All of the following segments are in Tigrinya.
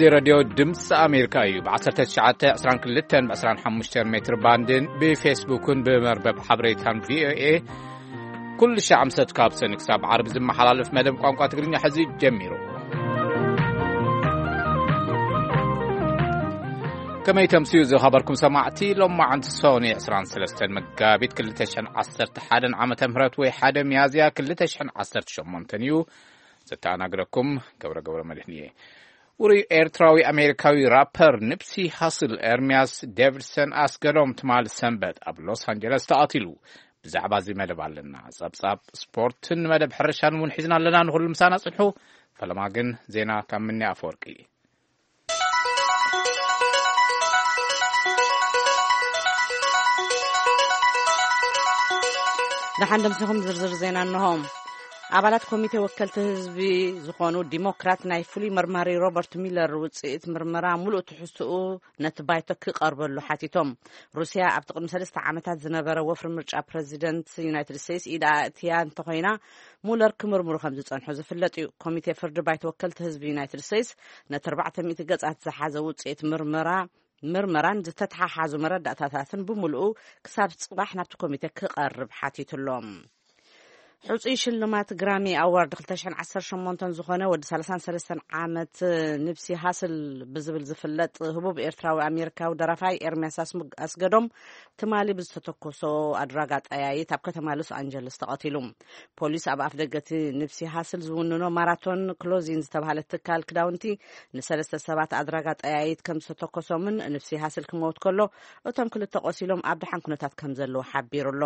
እዚ ሬድዮ ድምፂ ኣሜሪካ እዩ። ብ1922 ብ25 ሜትር ባንድን ብፌስቡክን ብመርበብ ሓበሬታን ቪኦኤ ኩሉ ሻዕ ምሰት ካብ ሰኒ ክሳብ ዓርቢ ዝመሓላለፍ መደብ ቋንቋ ትግርኛ ሕዚ ጀሚሩ። ከመይ ተምስዩ ዝኸበርኩም ሰማዕቲ? ሎማዓንቲ ሰኒ 23 መጋቢት 2011 ዓመተ ምህረት ወይ 1 ሚያዝያ 2018 እዩ። ዘተኣናግረኩም ገብረ ገብረ መድህን እየ። ውሩይ ኤርትራዊ ኣሜሪካዊ ራፐር ንፕሲ ሃስል ኤርሚያስ ዴቪድሰን ኣስገዶም ትማሊ ሰንበት ኣብ ሎስ ኣንጀለስ ተቐቲሉ። ብዛዕባ እዚ መደብ ኣለና። ጸብጻብ ስፖርትን መደብ ሕርሻን እውን ሒዝና ኣለና። ንኹሉ ምሳና ጽንሑ። ፈለማ ግን ዜና ካብ ምኒ ኣፈወርቂ። ደሓን ደምሲኹም ዝርዝር ዜና እንሆ። ኣባላት ኮሚቴ ወከልቲ ህዝቢ ዝኾኑ ዲሞክራት ናይ ፍሉይ መርማሪ ሮበርት ሚለር ውፅኢት ምርመራ ሙሉእ ትሕዝትኡ ነቲ ባይቶ ክቐርበሉ ሓቲቶም። ሩስያ ኣብቲ ቅድሚ ሰለስተ ዓመታት ዝነበረ ወፍሪ ምርጫ ፕረዚደንት ዩናይትድ ስቴትስ ኢድ ኣእትያ እንተኾይና፣ ሙለር ክምርምሩ ከም ዝጸንሑ ዝፍለጥ እዩ። ኮሚቴ ፍርዲ ባይቶ ወከልቲ ህዝቢ ዩናይትድ ስቴትስ ነቲ ኣርባዕተ ሚእቲ ገጻት ዝሓዘ ውጽኢት ምርመራ ምርመራን ዝተተሓሓዙ መረዳእታታትን ብምሉኡ ክሳብ ጽባሕ ናብቲ ኮሚቴ ክቐርብ ሓቲትሎም። ሕጹይ ሽልማት ግራሚ ኣዋርድ 2018 ዝኾነ ወዲ 33 ዓመት ንፕሲ ሃስል ብዝብል ዝፍለጥ ህቡብ ኤርትራዊ ኣሜሪካዊ ደራፋይ ኤርሚያስ ኣስም- ኣስገዶም ትማሊ ብዝተተኮሶ ኣድራጋ ጠያይት ኣብ ከተማ ሎስ ኣንጀለስ ተቐቲሉ። ፖሊስ ኣብ ኣፍ ደገቲ ንፕሲ ሃስል ዝውንኖ ማራቶን ክሎዚን ዝተባህለ ትካል ክዳውንቲ ንሰለስተ ሰባት ኣድራጋ ጠያይት ከም ዝተተኮሶምን ንፕሲ ሃስል ክመውት ከሎ እቶም ክልተ ቆሲሎም ኣብ ደሓን ኩነታት ከም ዘለዉ ሓቢሩ ኣሎ።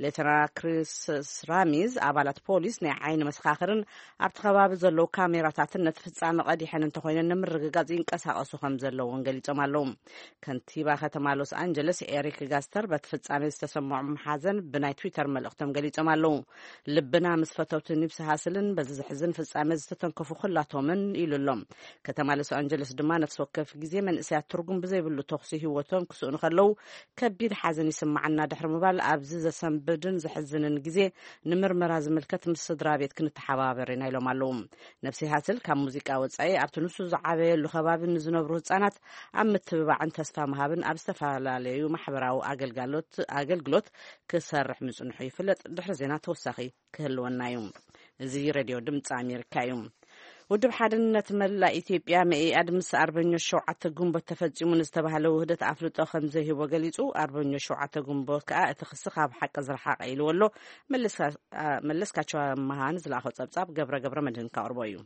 ሌተና ክሪስ ራሚዝ ኣባላት ፖሊስ ናይ ዓይኒ መሰኻኽርን ኣብቲ ከባቢ ዘለዉ ካሜራታትን ነቲ ፍጻመ ቀዲሐን እንተኾይነን ንምርግጋጽ ይንቀሳቐሱ ከም ዘለዉ እውን ገሊጾም ኣለዉ። ከንቲባ ከተማ ሎስ ኣንጀለስ ኤሪክ ጋስተር በቲ ፍጻሜ ዝተሰምዖም ሓዘን ብናይ ትዊተር መልእኽቶም ገሊጾም ኣለዉ። ልብና ምስ ፈተውቲ ኒፕሲ ሃስልን በዚ ዘሕዝን ፍጻሜ ዝተተንከፉ ኩላቶምን ኢሉ ኣሎ። ከተማ ሎስ ኣንጀለስ ድማ ነፍሲ ወከፍ ግዜ መንእሰያት ትርጉም ብዘይብሉ ተኹሲ ህይወቶም ክስእኑ ከለዉ ከቢድ ሓዘን ይስምዓና ድሕሪ ምባል ኣብዚ ዘሰንብድን ዘሕዝንን ግዜ ንምርመራ ዝምልከት ምስ ስድራ ቤት ክንተሓባበር ኢና ኢሎም ኣለዉ። ነፍሲ ሃስል ካብ ሙዚቃ ወጻኢ ኣብቲ ንሱ ዝዓበየሉ ከባቢ ንዝነብሩ ህጻናት ኣብ ምትብባዕን ተስፋ ምሃብን ኣብ ዝተፈላለዩ ማሕበራዊ ኣገልጋሎት ኣገልግሎት ክሰርሕ ምጽንሑ ይፍለጥ። ድሕሪ ዜና ተወሳኺ ክህልወና እዩ። እዚ ሬድዮ ድምፂ ኣሜሪካ እዩ። ውድብ ሓድነት መላእ ኢትዮጵያ መኢኣድ ምስ ኣርበኞች ሸውዓተ ግንቦት ተፈጺሙ ንዝተባህለ ውህደት ኣፍልጦ ከም ዘይህቦ ገሊጹ። ኣርበኞች ሸውዓተ ግንቦት ከኣ እቲ ክሲ ካብ ሓቂ ዝረሓቐ ኢልዎ ኣሎ። መለስካ- መለስካቸው ኣመሃ ንዝለኣኾ ጸብጻብ ገብረ ገብረ መድህን ከቕርቦ እዩ።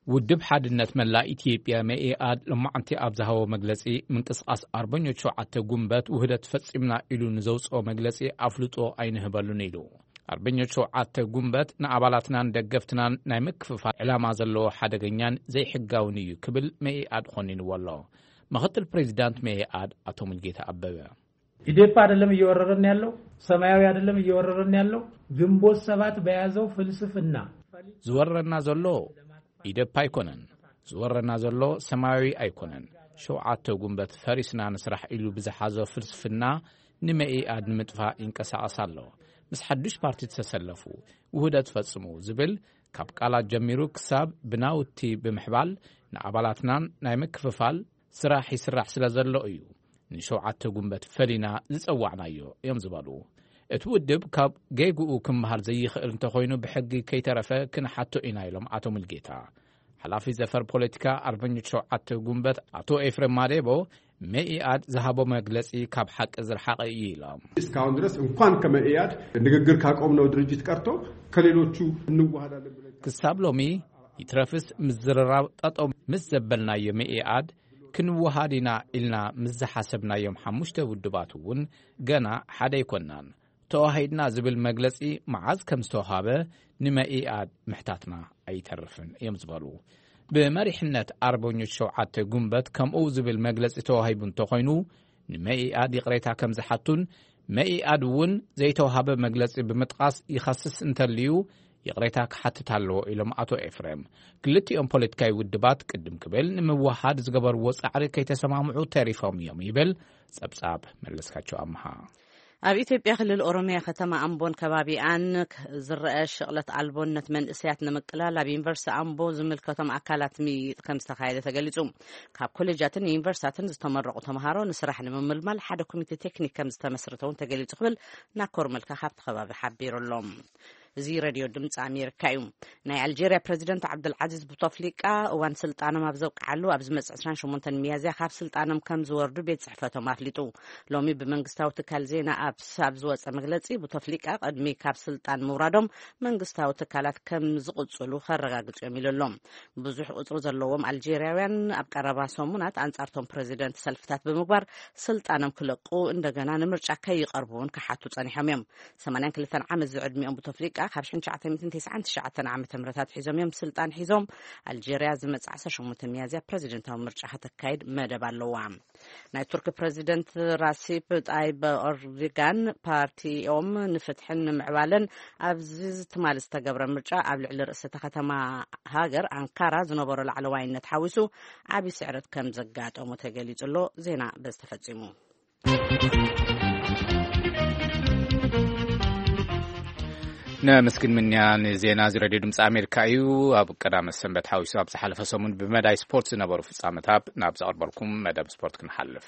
ውድብ ሓድነት መላእ ኢትዮጵያ መኢኣድ ሎማዕንቲ ኣብ ዝሃቦ መግለጺ፣ ምንቅስቓስ ኣርበኞች ሸውዓተ ጉንበት ውህደት ፈጺምና ኢሉ ንዘውጽኦ መግለጺ ኣፍልጦ ኣይንህበሉን ኢሉ። ኣርበኞች ሸውዓተ ጉንበት ንኣባላትናን ደገፍትናን ናይ ምክፍፋል ዕላማ ዘለዎ ሓደገኛን ዘይሕጋውን እዩ ክብል መኢኣድ ኾኒንዎ ኣሎ። ምኽትል ፕሬዚዳንት መኢኣድ ኣቶ ሙልጌታ ኣበበ። ኢዴፓ አይደለም እየወረረን ያለው፣ ሰማያዊ አይደለም እየወረረን ያለው፣ ግንቦት ሰባት በያዘው ፍልስፍና ዝወረና ዘሎ ኢዴፓ ኣይኮነን። ዝወረና ዘሎ ሰማያዊ ኣይኮነን። ሸውዓተ ጉንበት ፈሪስና ንስራሕ ኢሉ ብዝሓዞ ፍልስፍና ንመኢኣድ ንምጥፋእ ይንቀሳቐስ ኣሎ። ምስ ሓዱሽ ፓርቲ ዝተሰለፉ ውህደት ፈጽሙ ዝብል ካብ ቃላት ጀሚሩ ክሳብ ብናውቲ ብምሕባል ንኣባላትናን ናይ ምክፍፋል ስራሕ ይስራሕ ስለ ዘሎ እዩ ንሸውዓተ ጉንበት ፈሊና ዝጸዋዕናዮ እዮም ዝበሉ። እቲ ውድብ ካብ ጌግኡ ክምሃር ዘይኽእል እንተኾይኑ ብሕጊ ከይተረፈ ክንሓቶ ኢና ኢሎም ኣቶ ሙልጌታ። ሓላፊ ዘፈር ፖለቲካ ኣርበኞች ሸውዓተ ጉንበት ኣቶ ኤፍሬም ማዴቦ መኢኣድ ዝሃቦ መግለጺ ካብ ሓቂ ዝረሓቐ እዩ ኢሎም። እስካሁን ድረስ እንኳን ከመኢአድ ንግግር ካቆምነው ድርጅት ቀርቶ ከሌሎቹ እንዋሃዳለን ብለን ክሳብ ሎሚ ይትረፍስ ምዝርራብ ጠጠው ምስ ዘበልናዮ መኢኣድ ክንወሃድ ኢና ኢልና ምስ ዝሓሰብናዮም ሓሙሽተ ውድባት እውን ገና ሓደ ኣይኮናን። ተዋሂድና ዝብል መግለጺ መዓዝ ከም ዝተዋሃበ ንመኢኣድ ምሕታትና ኣይተርፍን እዮም ዝበሉ። ብመሪሕነት ኣርበኞች ሸውዓተ ጉንበት ከምኡ ዝብል መግለጺ ተዋሂቡ እንተኾይኑ ንመኢኣድ ይቕሬታ ከም ዝሓቱን መኢኣድ እውን ዘይተዋሃበ መግለጺ ብምጥቓስ ይኸስስ እንተልዩ ይቕሬታ ክሓትት ኣለዎ ኢሎም ኣቶ ኤፍሬም። ክልቲኦም ፖለቲካዊ ውድባት ቅድም ክብል ንምውሃድ ዝገበርዎ ጻዕሪ ከይተሰማምዑ ተሪፎም እዮም ይብል ጸብጻብ መለስካቸው ኣምሃ። ኣብ ኢትዮጵያ ክልል ኦሮሚያ ከተማ ኣምቦን ከባቢኣን ክ-፣ ዝረአ ሽቕለት ኣልቦነት መንእሰያት ንምቅላል ኣብ ዩኒቨርሲቲ ኣምቦ ዝምልከቶም ኣካላት ምይይጥ ከም ዝተኻየደ ተገሊጹ። ካብ ኮሌጃትን ዩኒቨርሲታትን ዝተመረቑ ተምሃሮ ንስራሕ ንምምልማል ሓደ ኮሚቴ ቴክኒክ ከም ዝተመስረተ እውን ተገሊጹ ክብል ናኮር መልካ ካብቲ ከባቢ ሓቢሩ ኣሎ። እዚ ሬድዮ ድምፂ ኣሜሪካ እዩ። ናይ ኣልጄርያ ፕሬዚደንት ዓብደልዓዚዝ ቡቶፍሊቃ እዋን ስልጣኖም ኣብ ዘብቅዓሉ ኣብ ዝመጽእ ዕስራን ሸሞንተን ሚያዝያ ካብ ስልጣኖም ከም ዝወርዱ ቤት ጽሕፈቶም ኣፍሊጡ። ሎሚ ብመንግስታዊ ትካል ዜና ኣብ ሳብ ዝወጸ መግለጺ፣ ቡቶፍሊቃ ቅድሚ ካብ ስልጣን ምውራዶም መንግስታዊ ትካላት ከም ዝቕጽሉ ከረጋግጹ እዮም ኢሉ ኣሎ። ብዙሕ ቁጽሪ ዘለዎም ኣልጄርያውያን ኣብ ቀረባ ሰሙናት ኣንጻርቶም ፕሬዚደንት ሰልፍታት ብምግባር ስልጣኖም ክለቁ እንደገና ንምርጫ ከይቐርቡ እውን ክሓቱ ጸኒሖም እዮም። ሰማንያን ክልተን ዓመት ዝዕድሚኦም ቡቶፍሊቃ ካብ ሽሕን ትሽዓተ ሚእትን ተስዓን ትሽዓተን ዓመተ ምህረት ኣትሒዞም እዮም ስልጣን ሒዞም። ኣልጄርያ ዝመጽእ ዓሰርተ ሸሞንተ ሚያዝያ ፕሬዚደንታዊ ምርጫ ከተካይድ መደብ ኣለዋ። ናይ ቱርኪ ፕሬዚደንት ራሲፕ ጣይብ ኦርዲጋን ፓርቲኦም ንፍትሕን ንምዕባለን ኣብዚ ትማሊ ዝተገብረ ምርጫ ኣብ ልዕሊ ርእሰ ከተማ ሃገር ኣንካራ ዝነበሮ ላዕለዋይነት ሓዊሱ ዓቢ ስዕረት ከም ዘጋጠሞ ተገሊጹ ኣሎ። ዜና በዚ ተፈጺሙ። ነመስግን ምንያ። ንዜና እዚ ሬድዮ ድምፂ ኣሜሪካ እዩ። ኣብ ቀዳመ ሰንበት ሓዊሱ ኣብ ዝሓለፈ ሰሙን ብመዳይ ስፖርት ዝነበሩ ፍጻመታት ናብ ዘቕርበልኩም መደብ ስፖርት ክንሓልፍ።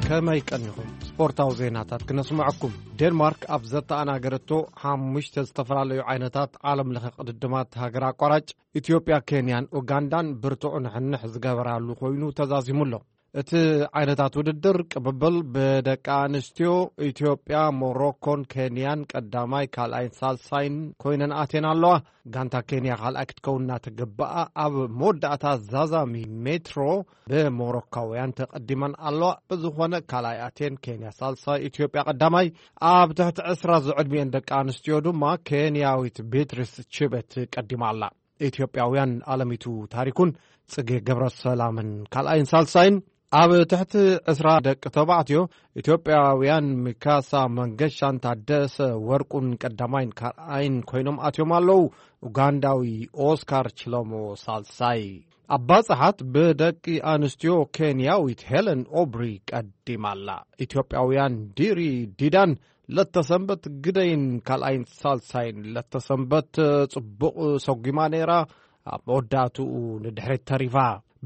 ከመይ ቀኒኹም? ስፖርታዊ ዜናታት ክነስምዐኩም። ዴንማርክ ኣብ ዘተኣናገረቶ ሓሙሽተ ዝተፈላለዩ ዓይነታት ዓለም ለኸ ቅድድማት ሃገር ኣቋራጭ ኢትዮጵያ፣ ኬንያን ኡጋንዳን ብርቱዕ ንሕንሕ ዝገበራሉ ኮይኑ ተዛዚሙ ኣሎ። እቲ ዓይነታት ውድድር ቅብብል ብደቂ ኣንስትዮ ኢትዮጵያ፣ ሞሮኮን ኬንያን ቀዳማይ፣ ካልኣይን ሳልሳይን ኮይነን ኣትየን ኣለዋ። ጋንታ ኬንያ ካልኣይ ክትከውን እናተገበኣ ኣብ መወዳእታ ዛዛሚ ሜትሮ ብሞሮካውያን ተቐዲመን ኣለዋ። ብዝኾነ ካልኣይ ኣትየን ኬንያ ሳልሳይ፣ ኢትዮጵያ ቀዳማይ። ኣብ ትሕቲ ዕስራ ዝዕድሚኤን ደቂ ኣንስትዮ ድማ ኬንያዊት ቤትሪስ ችበት ቀዲማ ኣላ። ኢትዮጵያውያን ኣለሚቱ ታሪኩን ጽጌ ገብረ ሰላምን ካልኣይን ሳልሳይን። ኣብ ትሕቲ ዕስራ ደቂ ተባዕትዮ ኢትዮጵያውያን ሚካሳ መንገሻን ታደሰ ወርቁን ቀዳማይን ካልኣይን ኮይኖም ኣትዮም ኣለዉ። ኡጋንዳዊ ኦስካር ችሎሞ ሳልሳይ። ኣባጽሓት ብደቂ ኣንስትዮ ኬንያዊት ሄለን ኦብሪ ቀዲማ ኣላ። ኢትዮጵያውያን ዲሪ ዲዳን ለተሰንበት ግደይን ካልኣይን ሳልሳይን። ለተሰንበት ጽቡቕ ሰጒማ ነይራ፣ ኣብ መወዳእትኡ ንድሕሪት ተሪፋ።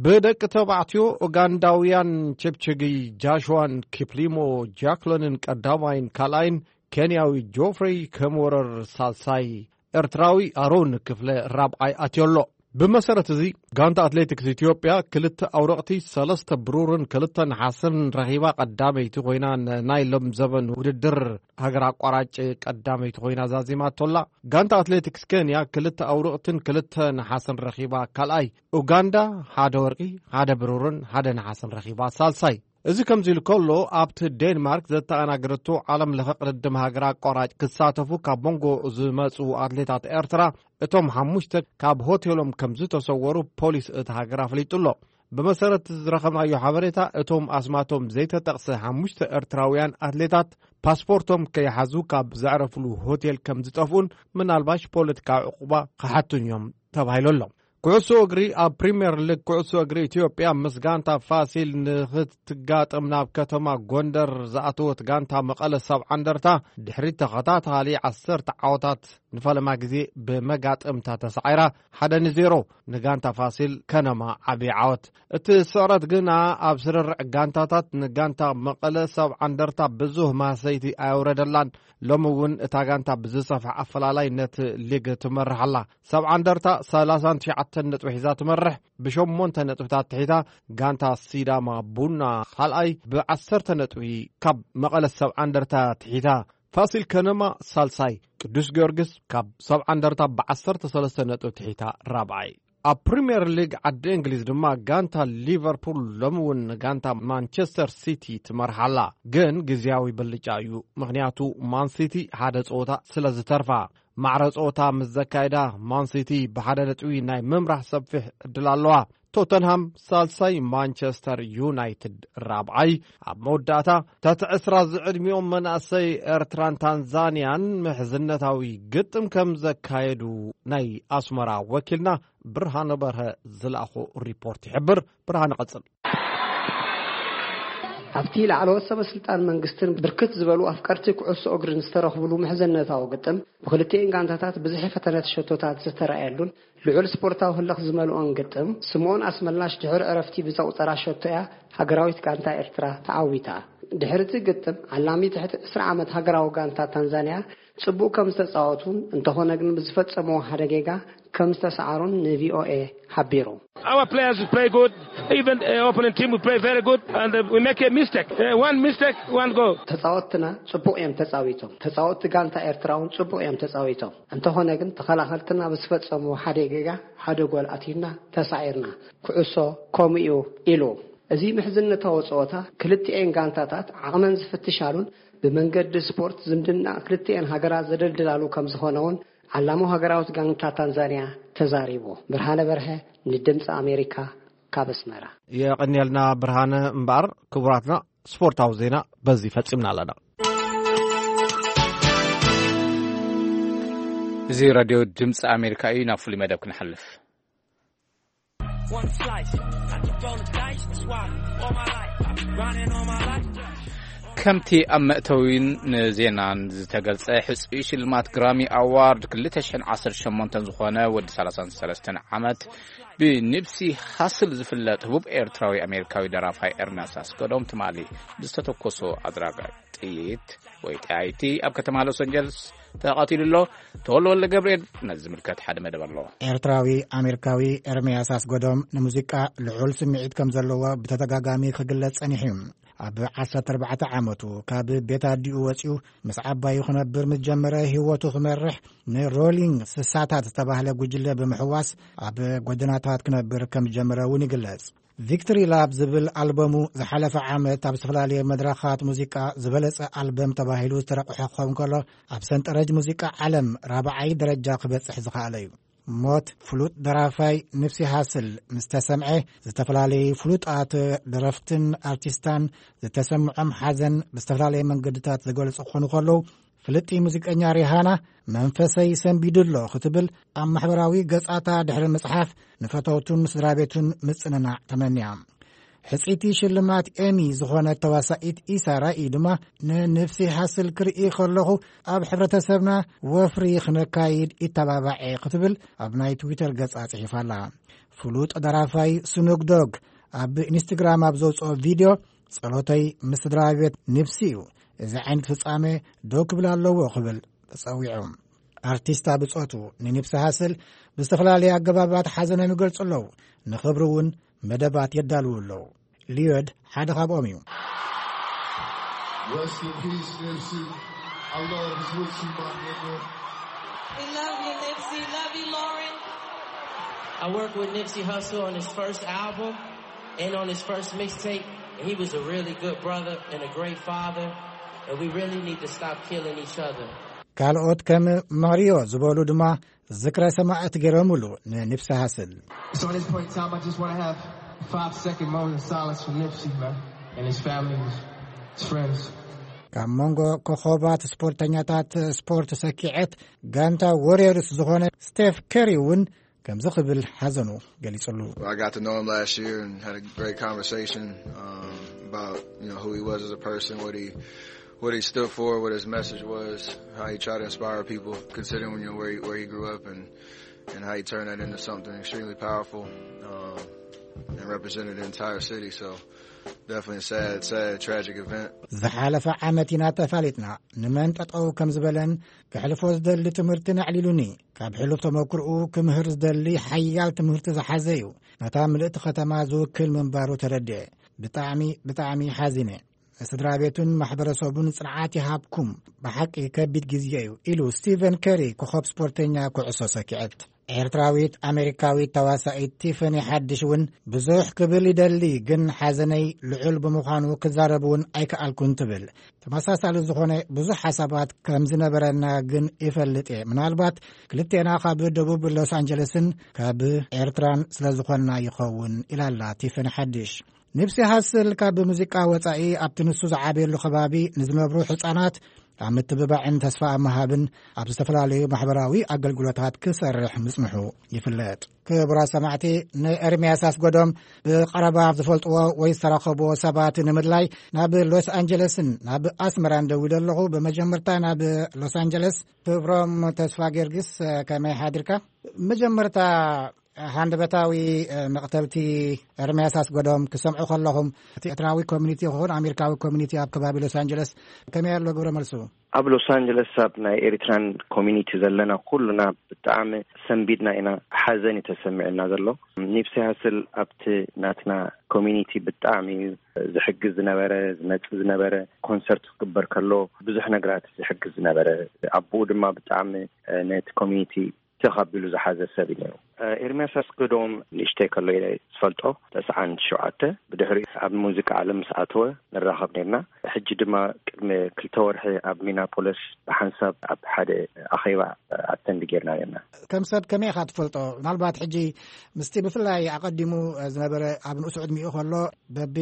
ብደቂ ተባዕትዮ ኡጋንዳውያን ቸፕቸጊ ጃሽዋን ኪፕሊሞ ጃክሎንን ቀዳማይን ካልኣይን፣ ኬንያዊ ጆፍሬይ ከሞረር ሳልሳይ፣ ኤርትራዊ ኣሮን ክፍለ ራብዓይ ኣትዮ ኣሎ። ብመሰረት እዚ፣ ጋንታ ኣትሌቲክስ ኢትዮጵያ ክልተ ኣውረቕቲ፣ ሰለስተ ብሩርን ክልተ ነሓስን ረኺባ ቀዳመይቲ ኮይና፣ ንናይ ሎም ዘበን ውድድር ሃገር ኣቋራጭ ቀዳመይቲ ኮይና ዛዚማቶ ኣላ። ጋንታ ኣትሌቲክስ ኬንያ ክልተ ኣውረቕትን ክልተ ነሓስን ረኺባ ካልኣይ፣ ኡጋንዳ ሓደ ወርቂ፣ ሓደ ብሩርን ሓደ ነሓስን ረኺባ ሳልሳይ። እዚ ከምዚ ኢሉ ከሎ፣ ኣብቲ ዴንማርክ ዘተኣናገደቶ ዓለም ለኸ ቅድድም ሃገር ኣቋራጭ ክሳተፉ ካብ መንጎ ዝመጹ ኣትሌታት ኤርትራ፣ እቶም ሓሙሽተ ካብ ሆቴሎም ከም ዝተሰወሩ ፖሊስ እታ ሃገር ኣፍሊጡ ኣሎ። ብመሰረት ዝረኸብናዮ ሓበሬታ፣ እቶም ኣስማቶም ዘይተጠቕሰ ሓሙሽተ ኤርትራውያን ኣትሌታት ፓስፖርቶም ከይሓዙ ካብ ዘዕረፍሉ ሆቴል ከም ዝጠፍኡን ምናልባሽ ፖለቲካዊ ዕቁባ ክሓቱን እዮም ተባሂሉ ኣሎ። ኩዕሶ እግሪ። ኣብ ፕሪምየር ሊግ ኩዕሶ እግሪ ኢትዮጵያ ምስ ጋንታ ፋሲል ንኽትጋጠም ናብ ከተማ ጎንደር ዝኣተወት ጋንታ መቐለ ሰብዓ እንደርታ ድሕሪ ተኸታታሊ ዓሰርተ ዓወታት ንፈለማ ግዜ ብመጋጥምታ ተሳዒራ ሓደ ንዜሮ ንጋንታ ፋሲል ከነማ ዓቢ ዓወት። እቲ ስዕረት ግና ኣብ ስርርዕ ጋንታታት ንጋንታ መቐለ ሰብዓ እንደርታ ብዙህ ማህሰይቲ ኣየውረደላን። ሎሚ እውን እታ ጋንታ ብዝሰፍሐ ኣፈላላይ ነቲ ሊግ ትመርሕ ኣላ። ሰብዓ እንደርታ ሰላሳን ትሽዓተን ነጥቢ ሒዛ ትመርሕ። ብሸሞንተ ነጥብታት ትሒታ ጋንታ ሲዳማ ቡና ካልኣይ ብዓሰርተ ነጥቢ ካብ መቐለ ሰብዓ እንደርታ ትሒታ። ፋሲል ከነማ ሳልሳይ፣ ቅዱስ ጊዮርጊስ ካብ ሰብዓ እንደርታ ብዓሰርተ ሰለስተ ነጥቢ ትሒታ ራብዓይ። ኣብ ፕሪምየር ሊግ ዓዲ እንግሊዝ ድማ ጋንታ ሊቨርፑል ሎሚ እውን ንጋንታ ማንቸስተር ሲቲ ትመርሓላ። ግን ግዝያዊ ብልጫ እዩ፣ ምኽንያቱ ማን ሲቲ ሓደ ጸወታ ስለ ዝተርፋ። ማዕረ ጸወታ ምስ ዘካየዳ ማን ሲቲ ብሓደ ነጥቢ ናይ ምምራሕ ሰፊሕ ዕድል ኣለዋ። ቶተንሃም ሳልሳይ፣ ማንቸስተር ዩናይትድ ራብዓይ። ኣብ መወዳእታ፣ ትሕቲ ዕስራ ዝዕድሚኦም መናእሰይ ኤርትራን ታንዛንያን ምሕዝነታዊ ግጥም ከም ዘካየዱ ናይ ኣስመራ ወኪልና ብርሃነ በርሀ ዝለኣኾ ሪፖርት ይሕብር። ብርሃነ፣ ቀጽል። ኣብቲ ላዕለዎት ሰበ ስልጣን መንግስትን ብርክት ዝበሉ ኣፍቀርቲ ኩዕሶ እግርን ዝተረኽብሉ ምሕዝነታዊ ግጥም፣ ብክልቲኤን ጋንታታት ብዝሒ ፈተነት ሸቶታት ዝተረኣየሉን ልዑል ስፖርታዊ ህልኽ ዝመልኦን ግጥም፣ ስምኦን ኣስመላሽ ድሕሪ ዕረፍቲ ብዘቑጸራ ሸቶ እያ ሃገራዊት ጋንታ ኤርትራ ተዓዊታ። ድሕሪ እቲ ግጥም፣ ዓላሚ ትሕቲ ዕስራ ዓመት ሃገራዊ ጋንታ ታንዛንያ ጽቡቕ ከም ዝተጻወቱን፣ እንተኾነ ግን ብዝፈጸምዎ ሓደ ጌጋ ከም ዝተሰዓሩን ን ቪ ኦ ኤ ሓቢሩ። Our players play good, even uh, opponent team we play very good, and uh, we make a mistake. Uh, one mistake, one goal. ተጻወትና ጽቡቕ እዮም ተጻዊቶም። ተጻወትቲ ጋንታ ኤርትራ እውን ጽቡቕ እዮም ተጻዊቶም። እንተኾነ ግን ተኸላኸልትና ብዝፈጸምዎ ሓደ ጌጋ ሓደ ጎል ኣቲና ተሳዒርና። ኩዕሶ ከምኡ እዩ ኢሉ። እዚ ምሕዝነታዊ ጸወታ ክልቲኤን ጋንታታት ዓቕመን ዝፍትሻሉን ብመንገዲ ስፖርት ዝምድና ክልቲኤን ሃገራት ዘደልድላሉ ከም ዝኾነ እውን ዓላማዊ ሃገራዊት ጋንታ ታንዛንያ ተዛሪቡ። ብርሃነ በርሀ ንድምፂ ኣሜሪካ ካብ ኣስመራ። የቐንየልና ብርሃነ። እምበኣር ክቡራትና፣ ስፖርታዊ ዜና በዚ ፈጺምና ኣለና። እዚ ራድዮ ድምፂ ኣሜሪካ እዩ። ናብ ፍሉይ መደብ ክንሓልፍ። One slice. I just roll the dice. That's why all my life I've been grinding all my life. ከምቲ ኣብ መእተዊን ንዜናን ዝተገልጸ፣ ሕጹይ ሽልማት ግራሚ ኣዋርድ ክልተ ሽሕን ዓሰርተ ሸሞንተን ዝኾነ ወዲ ሰላሳን ሰለስተን ዓመት ብኒፕሲ ሃስል ዝፍለጥ ህቡብ ኤርትራዊ ኣሜሪካዊ ደራፋይ ኤርምያስ ኣስገዶም ትማሊ ብዝተተኮሶ ኣድራጋይ ጥይት ወይ ጣይቲ ኣብ ከተማ ሎስ ኣንጀለስ ተቐቲሉ ኣሎ። ተወልደ ወልደ ገብርኤል ነዚ ዝምልከት ሓደ መደብ ኣሎ። ኤርትራዊ ኣሜሪካዊ ኤርምያስ ኣስገዶም ንሙዚቃ ልዑል ስምዒት ከም ዘለዎ ብተደጋጋሚ ክግለጽ ጸኒሑ እዩ። ኣብ ዓሰርተ ኣርባዕተ ዓመቱ ካብ ቤት ኣዲኡ ወጺኡ ምስ ዓባዩ ክነብር ምስ ጀመረ፣ ህይወቱ ክመርሕ ንሮሊንግ ስሳታት ዝተባህለ ጉጅለ ብምሕዋስ ኣብ ጎደናታት ክነብር ከም ዝጀመረ እውን ይግለጽ። ቪክቶሪ ላፕ ዝብል ኣልበሙ ዝሓለፈ ዓመት ኣብ ዝተፈላለየ መድረኻት ሙዚቃ ዝበለጸ ኣልበም ተባሂሉ ዝተረቑሐ ክኸውን ከሎ፣ ኣብ ሰንጠረጅ ሙዚቃ ዓለም ራብዓይ ደረጃ ክበጽሕ ዝኸኣለ እዩ። ሞት ፍሉጥ ደራፋይ ኒፕሲ ሃስል ምስ ተሰምዐ፣ ዝተፈላለዩ ፍሉጣት ደረፍትን ኣርቲስታን ዝተሰምዖም ሓዘን ብዝተፈላለየ መንገድታት ዝገልጹ ክኾኑ ከለዉ፣ ፍልጥቲ ሙዚቀኛ ሪሃና መንፈሰይ ሰንቢዱ ኣሎ ክትብል ኣብ ማሕበራዊ ገጻታ ድሕሪ ምጽሓፍ፣ ንፈተውቱን ስድራ ቤቱን ምጽንናዕ ተመንያ። ሕጽይቲ ሽልማት ኤሚ ዝኾነት ተዋሳኢት ኢሳ ራኢ ድማ፣ ንንብሲ ሃስል ክርኢ ከለኹ ኣብ ሕብረተሰብና ወፍሪ ክነካይድ ይተባባዕ እየ ክትብል ኣብ ናይ ትዊተር ገጻ ጽሒፋ ኣላ። ፍሉጥ ደራፋይ ስኑግ ዶግ ኣብ ኢንስትግራም ኣብ ዘውጽኦ ቪድዮ፣ "ጸሎተይ ምስ ስድራ ቤት ንብሲ እዩ፣ እዚ ዓይነት ፍጻሜ ደው ክብል ኣለዎ" ክብል ተጸዊዑ። ኣርቲስታ ብጾቱ ንኒፕሲ ሃስል ብዝተፈላለየ ኣገባባት ሓዘኖም ይገልጹ ኣለዉ። ንኽብሪ እውን መደባት የዳልዉ ኣለዉ። ሊዮድ ሓደ ካብኦም እዩ። Rest in peace, Nipsey. I love is with you, my nigga. We love you, Nipsey. Love you, Lauren. I worked with Nipsey Hussle on his first album and on his first mixtape, and he was a really good brother and a great father, and we really need to stop killing each other. ካልኦት ከም ማሪዮ ዝበሉ ድማ ዝክረ ሰማእት ገይሮምሉ ንኒፕሲ ሃስል። So at this point in time, I just want to have five second moment of silence for Nipsey, man, and his family, his friends. ካብ መንጎ ኮኸባት ስፖርተኛታት ስፖርት ሰኪዐት ጋንታ ዎሪየርስ ዝኾነ ስቴፍ ከሪ እውን ከምዚ ክብል ሓዘኑ ገሊጹሉ። I got to know him last year and had a great conversation, um, about, you know, who he was as a person, what he, what he stood for, what his message was, how he tried to inspire people, considering, you know, where he, where he grew up and, and how he turned that into something extremely powerful, um, and represented the entire city. So definitely a sad, sad, tragic event. ዝሓለፈ ዓመት ኢና ተፋሊጥና። ንመን ጠጠው ከም ዝበለን ክሕልፎ ዝደሊ ትምህርትን ኣዕሊሉኒ። ካብ ሕሉፍ ተመክርኡ ክምህር ዝደሊ ሓያል ትምህርቲ ዝሓዘ እዩ። ነታ ምልእቲ ከተማ ዝውክል ምንባሩ ተረድኤ። ብጣዕሚ፣ ብጣዕሚ ሓዚነ። ንስድራ ቤቱን ማሕበረሰቡን ጽንዓት ይሃብኩም። ብሓቂ ከቢድ ግዜ እዩ፣ ኢሉ ስቲቨን ከሪ፣ ኮኸብ ስፖርተኛ ኩዕሶ ሰኪዐት። ኤርትራዊት ኣሜሪካዊት ተዋሳኢት ቲፈኒ ሓድሽ እውን ብዙሕ ክብል ይደሊ፣ ግን ሓዘነይ ልዑል ብምዃኑ ክዛረብ እውን ኣይከኣልኩን ትብል። ተመሳሳሊ ዝኾነ ብዙሕ ሓሳባት ከም ዝነበረና ግን ይፈልጥ እየ። ምናልባት ክልቴና ካብ ደቡብ ሎስ ኣንጀለስን ካብ ኤርትራን ስለ ዝኾንና ይኸውን፣ ኢላላ ቲፈኒ ሓድሽ። ኒፕሲ ሃስል ካብ ሙዚቃ ወጻኢ ኣብቲ ንሱ ዝዓበየሉ ከባቢ ንዝነብሩ ህጻናት ኣብ ምትብባዕን ተስፋ ኣብ ምሃብን ኣብ ዝተፈላለዩ ማሕበራዊ ኣገልግሎታት ክሰርሕ ምጽንሑ ይፍለጥ። ክቡራት ሰማዕቲ፣ ንኤርምያስ ኣስጎዶም ብቐረባ ዝፈልጥዎ ወይ ዝተረኸብዎ ሰባት ንምድላይ ናብ ሎስ ኣንጀለስን ናብ ኣስመራን ደዊለ ኣለኹ። ብመጀመርታ ናብ ሎስ ኣንጀለስ። ክብሮም ተስፋ ጊዮርጊስ፣ ከመይ ሓዲርካ? መጀመርታ፣ ሃንደበታዊ መቕተልቲ ኤርምያስ ኣስጎዶም ክሰምዑ ከለኹም፣ እቲ ኤርትራዊ ኮሚኒቲ ይኹን ኣሜሪካዊ ኮሚኒቲ ኣብ ከባቢ ሎስ ኣንጀለስ ከመይ ኣሎ ግብረ መልሱ? ኣብ ሎስ ኣንጀለስ ኣብ ናይ ኤሪትራን ኮሚኒቲ ዘለና ኩሉና ብጣዕሚ ሰንቢድና ኢና። ሓዘን እዩ ተሰሚዕና ዘሎ። ኒፕሲ ሃስል ኣብቲ ናትና ኮሚኒቲ ብጣዕሚ እዩ ዝሕግዝ ዝነበረ፣ ዝመጽእ ዝነበረ። ኮንሰርት ክግበር ከሎ ብዙሕ ነገራት ዝሕግዝ ዝነበረ፣ ኣቦኡ ድማ ብጣዕሚ ነቲ ኮሚኒቲ ተኻቢሉ ዝሓዘ ሰብ እዩ ነይሩ። ኤርምያስ ኣስገዶም ንእሽተይ ከሎ ኢለ ዝፈልጦ፣ ተስዓን ሸውዓተ። ብድሕሪኡ ኣብ ሙዚቃ ዓለም ምስ ኣተወ ንራኸብ ነርና። ሕጂ ድማ ቅድሚ ክልተ ወርሒ ኣብ ሚናፖለስ ብሓንሳብ ኣብ ሓደ ኣኼባ ኣተንድ ጌርና ነርና። ከም ሰብ ከመይ ኢኻ ትፈልጦ? ምናልባት ሕጂ ምስቲ ብፍላይ ኣቐዲሙ ዝነበረ ኣብ ንኡስ ዕድሚኡ ከሎ በቢ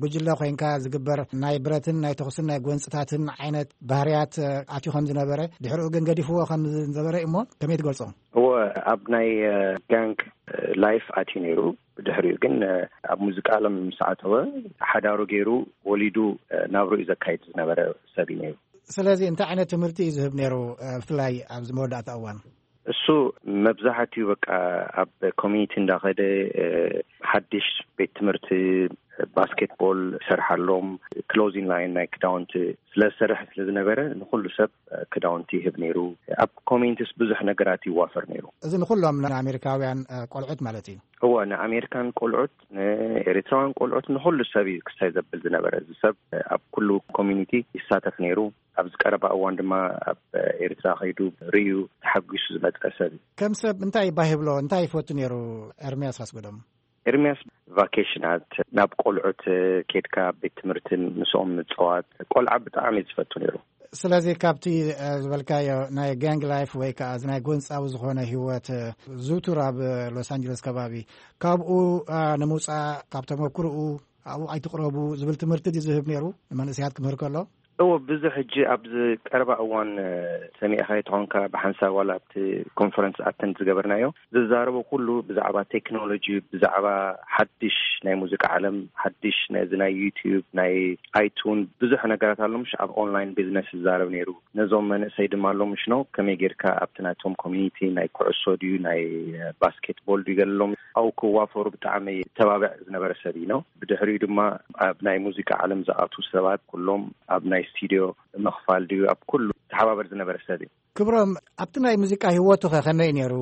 ጉጅለ ኮይንካ ዝግበር ናይ ብረትን ናይ ተኹስን ናይ ጎንጽታትን ዓይነት ባህርያት ኣትዩ ከም ዝነበረ፣ ድሕሪኡ ግን ገዲፍዎ ከም ዝነበረ እሞ ከመይ ትገልጾ? እወ፣ ኣብ ናይ ጋንግ ላይፍ ኣትዩ ነይሩ። ብድሕሪኡ ግን ኣብ ሙዚቃ ዓለም ምስ ኣተወ፣ ሓዳሩ ገይሩ ወሊዱ ናብርኡ ዘካይድ ዝነበረ ሰብ እዩ ነይሩ። ስለዚ እንታይ ዓይነት ትምህርቲ እዩ ዝህብ ነይሩ፣ ብፍላይ ኣብዚ መወዳእታ እዋን? እሱ መብዛሕትኡ በቃ ኣብ ኮሚኒቲ እንዳኸደ ሓድሽ ቤት ትምህርቲ ባስኬትቦል ይሰርሓሎም፣ ክሎዚንግ ላይን ናይ ክዳውንቲ ስለዝሰርሕ ስለዝነበረ ንኹሉ ሰብ ክዳውንቲ ይህብ ነይሩ። ኣብ ኮሚኒቲስ ብዙሕ ነገራት ይዋፈር ነይሩ። እዚ ንኹሎም ንኣሜሪካውያን ቆልዑት ማለት እዩ? እወ፣ ንኣሜሪካን ቆልዑት፣ ንኤሪትራውያን ቆልዑት፣ ንኹሉ ሰብ እዩ ክሳይ ዘብል ዝነበረ። እዚ ሰብ ኣብ ኩሉ ኮሚኒቲ ይሳተፍ ነይሩ። ኣብዚ ቀረባ እዋን ድማ ኣብ ኤሪትራ ከይዱ ርእዩ ተሓጒሱ ዝመጸ ሰብ እዩ። ከም ሰብ እንታይ ባህ ይብሎ፣ እንታይ ይፈቱ ነይሩ ኤርምያስ ኣስገዶም? ኤርምያስ ቫኬሽናት ናብ ቆልዑት ኬድካ ቤት ትምህርትን ምስኦም ምጽዋት፣ ቆልዓ ብጣዕሚ እዩ ዝፈቱ ነይሩ። ስለዚ ካብቲ ዝበልካዮ ናይ ጋንግ ላይፍ ወይ ከዓ እዚ ናይ ጎንጻዊ ዝኾነ ህይወት ዝውቱር ኣብ ሎስ ኣንጀለስ ከባቢ፣ ካብኡ ንምውጻእ ካብ ተመክርኡ ኣብኡ ኣይትቕረቡ ዝብል ትምህርቲ ድዩ ዝህብ ነይሩ ንመንእሰያት ክምህር ከሎ? እዎ፣ ብዙሕ ሕጂ ኣብዚ ቀረባ እዋን ሰሚዕኻ ተኾንካ ብሓንሳብ ዋላ ኣብቲ ኮንፈረንስ ኣተንድ ዝገበርናዮ ዝዛረቡ ኩሉ ብዛዕባ ቴክኖሎጂ፣ ብዛዕባ ሓድሽ ናይ ሙዚቃ ዓለም፣ ሓድሽ ነዚ ናይ ዩቲዩብ፣ ናይ ኣይቱን ብዙሕ ነገራት ኣሎ፣ ምሽ ኣብ ኦንላይን ቢዝነስ ዝዛረብ ነይሩ። ነዞም መንእሰይ ድማ ኣሎ፣ ምሽ ነው ከመይ ጌርካ ኣብቲ ናቶም ኮሚኒቲ ናይ ኩዕሶ ድዩ ናይ ባስኬትቦል ድዩ ገለሎም ኣብኡ ክዋፈሩ ብጣዕሚ ተባብዕ ዝነበረ ሰብ እዩ ነው። ብድሕሪኡ ድማ ኣብ ናይ ሙዚቃ ዓለም ዝኣቱ ሰባት ኩሎም ኣብ ናይ ስቱዲዮ ምኽፋል ድዩ ኣብ ኩሉ ተሓባበር ዝነበረ ሰብ እዩ። ክብሮም፣ ኣብቲ ናይ ሙዚቃ ህይወቱ ኸ ከመይ ነይሩ?